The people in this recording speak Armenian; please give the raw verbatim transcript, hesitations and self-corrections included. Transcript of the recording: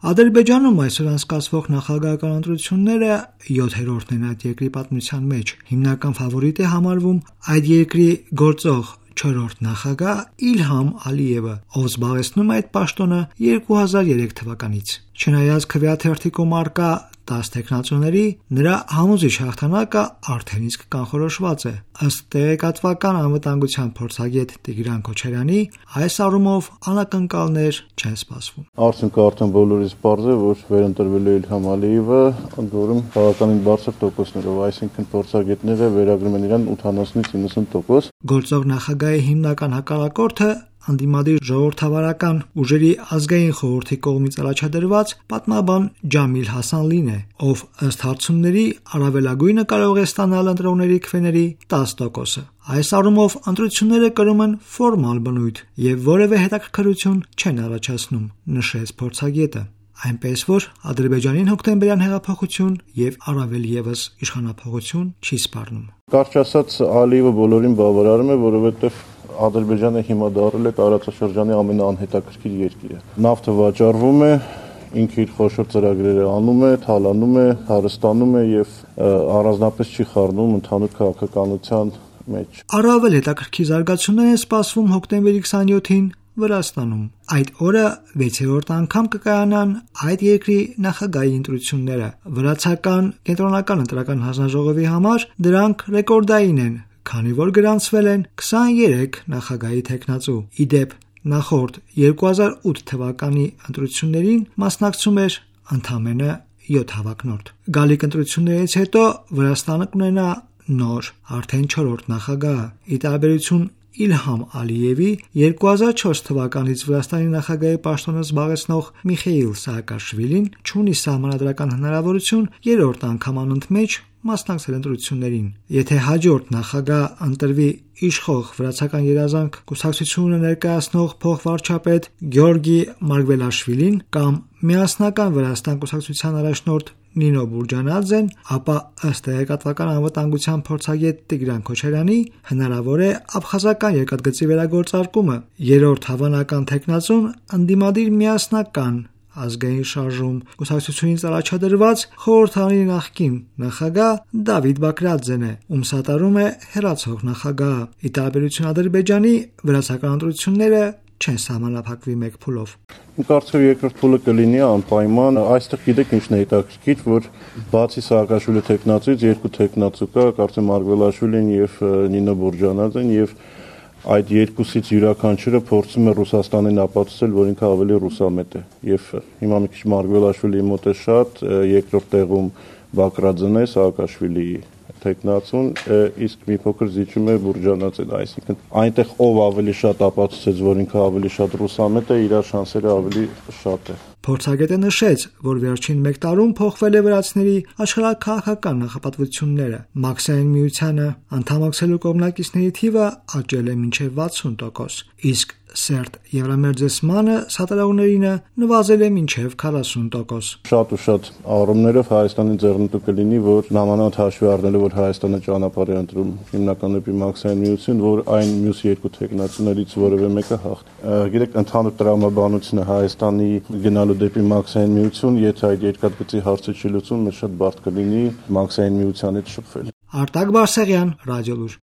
Ադրբեջանում այսօր անցկացվող նախագահական ընտրությունները յոթերորդն են այդ երկրի պատմության մեջ։ Հիմնական ֆավորիտ է համարվում այդ երկրի գործող չորրորդ նախագահ Իլհամ Ալիևը, ով զբաղեցնում է այդ պաշտոնը երկու հազար երեք թվականից։ Չնայած քվեաթերթիկում առկա տաս թեկնածուների, նրա համոզիչ հաղթանակը արդեն իսկ կանխորոշված է։ Ըստ տեղեկատվական անվտանգության փորձագետ Տիգրան Քոչարյանի, այս առումով անակնկալներ չեն սպասվում։ Արդյունքը արդեն բոլորից պարզ է, որ վերընտրվել է Իլհամ Ալիևը, ընդ որում բավականին բարձր տոկոսներով, այսինքն փորձագետները վերագրում են իրան ութանասունից իննսուն տոկոս։ Գործող նախագահի հիմնական հակառակորդը անդիմադիր ժողովրդավարական ուժերի ազգային խորհրդի կողմից առաջադրված պատմաբան Ջամիլ Հասանլին է, ով ըստ հարցումների առավելագույնը կարող է ստանալ ընտրողների քվեների տաս տոկոսը։ Այս առումով ընտրությունները կրում են ֆորմալ բնույթ եւ որևէ հետաքրքրություն չեն առաջացնում, նշեց փորձագետը։ Այնպես որ Ադրբեջանին հոկտեմբերյան հեղափոխություն եւ առավել եւս իշխանափոխություն չի սպառնում։ Կարճ ասած, Ալիևը բոլորին բավարարում է, որովհետեւ Ադրբեջանը հիմա դառել է տարածաշրջանի ամենաանհետաքրքիր երկիրը։ Նավթը վաճառվում է, ինքը իր խոշոր ծրագրերը անում է, թալանում է, հարստանում է եւ առանձնապես չի խառնում ընդհանուր քաղաքականության մեջ։ Առավել հետաքրքիր զարգացումներ են սպասվում հոկտեմբերի քսանյոթին Վրաստանում։ Այդ օրը վեցերորդ անգամ կկայանան այդ երկրի նախագահի ընտրությունները։ Վրացական կենտրոնական ընտրական հանձնաժողովի համար դրանք ռեկորդային են, քանի որ գրանցվել են քսաներեք նախագահի թեկնածու։ Ի դեպ, նախորդ երկու հազար ութ թվականի ընտրություններին մասնակցում էր ընդամենը յոթ հավակնորդ։ Գալիք ընտրություններից հետո Վրաստանը կունենա նոր, արդեն չորրորդ նախագահ։ Ի տարբերություն Իլհամ Ալիևի երկու հազար չորս թվականից Վրաստանի նախագահի պաշտոնը զբաղեցնող Միխեիլ Սաակաշվիլին չունի սահմանադրական հնարավորություն երրորդ անգամ անընդմեջ մասնակցել ընտրություններին։ Եթե հաջորդ նախագահ ընտրվի իշխող վրացական երազանք կուսակցությունը ներկայացնող փոխվարչապետ Գյորգի Մարգվելաշվիլին կամ միասնական Վրաստան կուսակցության առաջնորդ Նինո Բուրջանաձեն, ապա ըստ տեղեկատվական անվտանգության փորձագետ Տիգրան Քոչարյանի հնարավոր է աբխազական երկաթգծի վերագործարկումը։ Երրորդ հավանական թեկնածուն ընդդիմադիր միասնական ազգային շարժում կուսակցությունից առաջադրված խորհրդարանի նախկին նախագահ Դավիթ Բակրատձեն է, ում սատարում է հեռացող նախագահը։ Ի տարբերություն Ադրբեջանի, վրացական ընտրությունները չեն սահմանափակվի մեկ փուլով։ Իմ կարծիքով երկրորդ փուլը կլինի անպայման։ Այստեղ գիտեք ինչն է հետաքրքիր, որ բացի Սաակաշվիլի թեկնածուից երկու թեկնածու կա, կարծեմ Մարգվելաշվիլին եւ Նինո Բուրջանաձեն, եւ այդ երկուսից յուրաքանչյուրը փորձում է Ռուսաստանին ապացուցել, որ ինքը ավելի ռուսամետ է։ Եվ հիմա մի քիչ Մարգվելաշվիլիի մոտ է շատ, երկրորդ տեղում Բակրատձեն է, Սաակաշվիլիի թեկնածուն, իսկ մի փոքր զիջում է Բուրջանաձեն, այսինքն այնտեղ ով ավելի շատ ապացուցեց, որ ինքը ավելի շատ ռուսամետ է, իր շանսերը ավելի շատ է։ Փորձագետը նշեց, որ վերջին մեկ տարում փոխվել է վրացիների աշխարհաքաղաքական նախապատվությունները։ Մաքսային միությանը անդամակցելու կողմնակիցների թիվը աճել է մինչև վաթսուն տոկոս, իսկ սերտ Եվրամերձեցմանը սատարողներինը նվազել է մինչև քառասուն տոկոս։ Շատ ու շատ առումներով Հայաստանի ձեռնտու կլինի, որ նամանավանդ հաշվի առնելով, որ Հայաստանը ճանապարհ է ընտրում հիմնական դեպի մաքսային միություն, որ այն մյուս երկու թեկնածուներից որևէ մեկը հաղթի։ Գիտեք, ընդհանուր տրամաբանությունը Հայաստանի գնալու դեպի մաքսային միություն, եթե այդ երկաթգծի հարցը չի լուծում, մեզ շատ բարդ կլինի մաքսային միության հետ շփվել։ Արտակ Բարսեղյան, Ռադիոլուր։